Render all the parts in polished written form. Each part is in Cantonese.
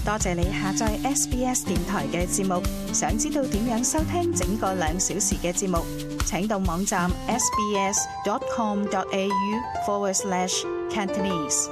多謝你下載 SBS 電台嘅節目。想知道點樣收聽整個2小時嘅節目，請到網站 sbs.com.au/Cantonese。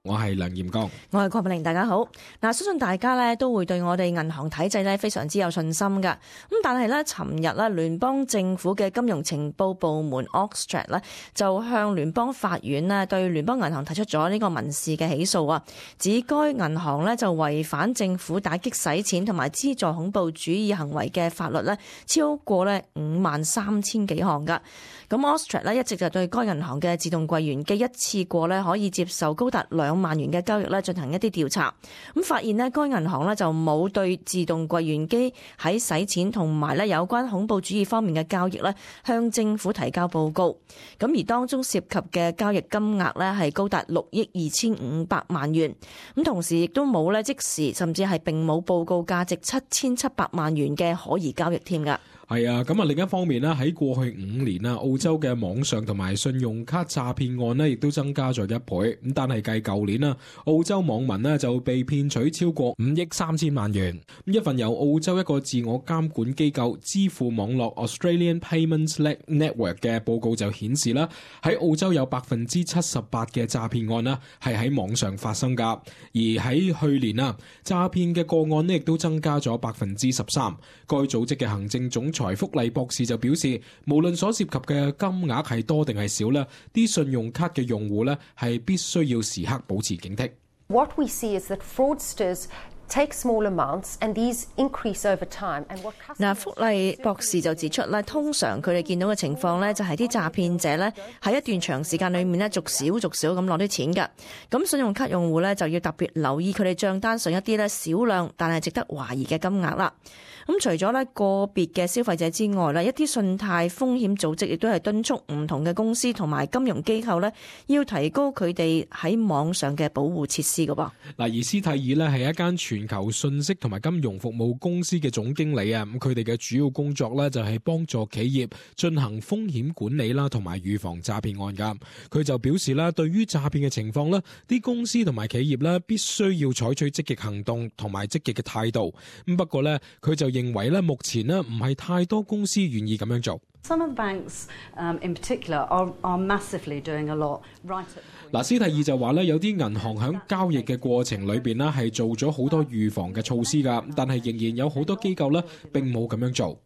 我係梁炎剛，我係郭美玲，大家好。相信大家咧都會對我哋銀行體制咧非常之有信心噶。但係咧，尋日咧聯邦政府嘅金融情報部門 Australia 咧就向聯邦法院咧對聯邦銀行提出咗呢個民事嘅起訴啊，指該銀行咧就違反政府打擊洗錢同埋資助恐怖主義行為嘅法律咧，超過咧53,000幾項噶。咁 Australia 咧一直就對該銀行嘅自動櫃員機一次過咧可以接受高達2萬元嘅交易咧進行一啲調查，咁發現咧該銀行咧就冇對自動櫃員機喺洗錢同埋咧有關恐怖主義方面嘅交易咧向政府提交報告，咁而當中涉及嘅交易金額咧係高達6億2,500萬元，咁同時亦都冇咧即時甚至係並冇報告價值7,700萬元嘅可疑交易添㗎。係啊，咁另一方面咧，喺過去5年澳洲嘅網上同埋信用卡詐騙案咧，亦都增加咗1倍。咁但係計舊年澳洲網民咧就被騙取超過5億3千萬元。一份由澳洲一個自我監管機構支付網絡 Australian Payments Network 嘅報告就顯示啦，喺澳洲有78%嘅詐騙案啦係喺網上發生噶，而喺去年詐騙嘅個案咧亦都增加咗13%。該組織嘅行政總財福利博士就表示，無論所涉及嘅金額係多定係少咧，啲信用卡嘅用戶咧係必須要時刻保持警惕。What we see is that fraudsters take small amounts and these increase over time. And what 福利博士就指出咧，通常佢哋見到嘅情況咧，就係啲詐騙者咧喺一段長時間裏面咧，逐少咁攞啲錢㗎。咁信用卡用戶咧就要特別留意佢哋帳單上一啲咧少量但係值得懷疑嘅金額啦。咁除咗咧個別嘅消費者之外咧，一啲信貸風險組織亦都係敦促唔同嘅公司同埋金融機構咧，要提高佢哋喺網上嘅保護設施㗎噃。而斯蒂爾咧係一間全球信息同埋金融服務公司嘅總經理啊，咁佢哋嘅主要工作咧就係幫助企業進行風險管理啦，同埋預防詐騙案㗎。佢就表示啦，對於詐騙嘅情況咧，啲公司同埋企業咧必須要採取積極行動同埋積極嘅態度。咁不過咧，佢就認為咧，目前咧唔係太多公司願意咁樣做。Some of the banks, in particular, are massively doing a lot right at。斯蒂爾就話咧，有啲銀行喺交易嘅過程裏邊咧係做咗好多預防嘅措施㗎，但係仍然有好多機構咧並冇咁樣做。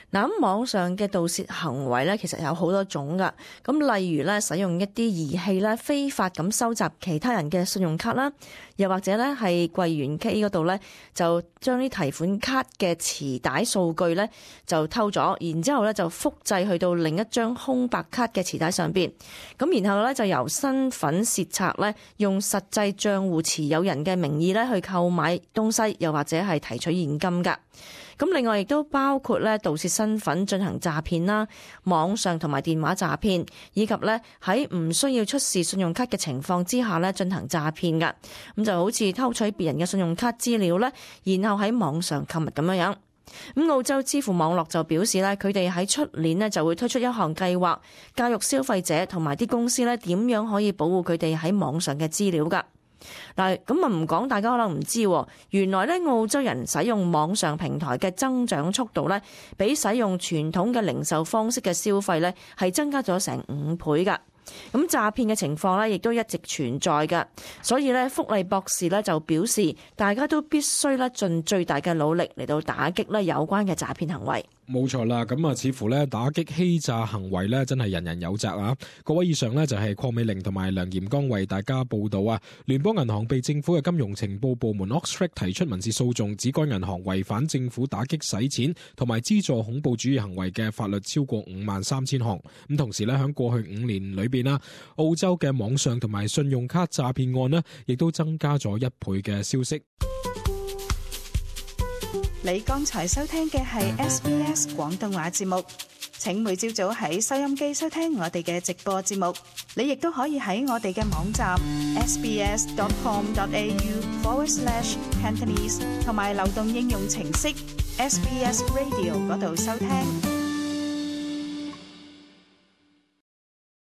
咁網上嘅盜竊行為咧，其實有好多種噶。咁例如咧，使用一啲儀器咧，非法咁收集其他人嘅信用卡啦，又或者咧係櫃員機嗰度咧，就將啲提款卡嘅磁帶數據咧就偷咗，然之後咧就複製去到另一張空白卡嘅磁帶上邊。咁然後咧就由身份竊賊咧，用實際賬戶持有人嘅名義咧去購買東西，又或者係提取現金噶。咁另外亦都包括咧盜竊身份進行詐騙啦，網上同埋電話詐騙，以及咧喺唔需要出示信用卡嘅情況之下咧進行詐騙噶。咁就好似偷取別人嘅信用卡資料咧，然後喺網上購物咁樣。咁澳洲支付網絡就表示咧，佢哋喺出年咧就會推出一項計劃，教育消費者同埋啲公司咧點樣可以保護佢哋喺網上嘅資料噶。嗱，咁唔講，大家可能唔知，原來咧澳洲人使用網上平台嘅增長速度咧，比使用傳統嘅零售方式嘅消費咧係增加咗成5倍噶。咁詐騙嘅情況咧，亦都一直存在噶。所以咧，福利博士咧就表示，大家都必須咧盡最大嘅努力嚟到打擊咧有關嘅詐騙行為。冇錯啦，咁似乎咧打擊欺詐行為咧真係人人有責啊！各位，以上咧就係鄺美玲同埋梁炎剛為大家報道啊。聯邦銀行被政府嘅金融情報部門 Australia 提出民事訴訟，指該銀行違反政府打擊洗錢同埋資助恐怖主義行為嘅法律超過53,000項。咁同時咧喺過去5年裏邊啦，澳洲嘅網上同埋信用卡詐騙案咧，亦都增加咗1倍嘅消息。你剛才收聽嘅係 SBS 廣東話節目，請每朝早喺收音機收聽我哋嘅直播節目。你亦都可以喺我哋嘅網站 sbs.com.au/Cantonese 同埋流動應用程式 SBS Radio 嗰度收聽。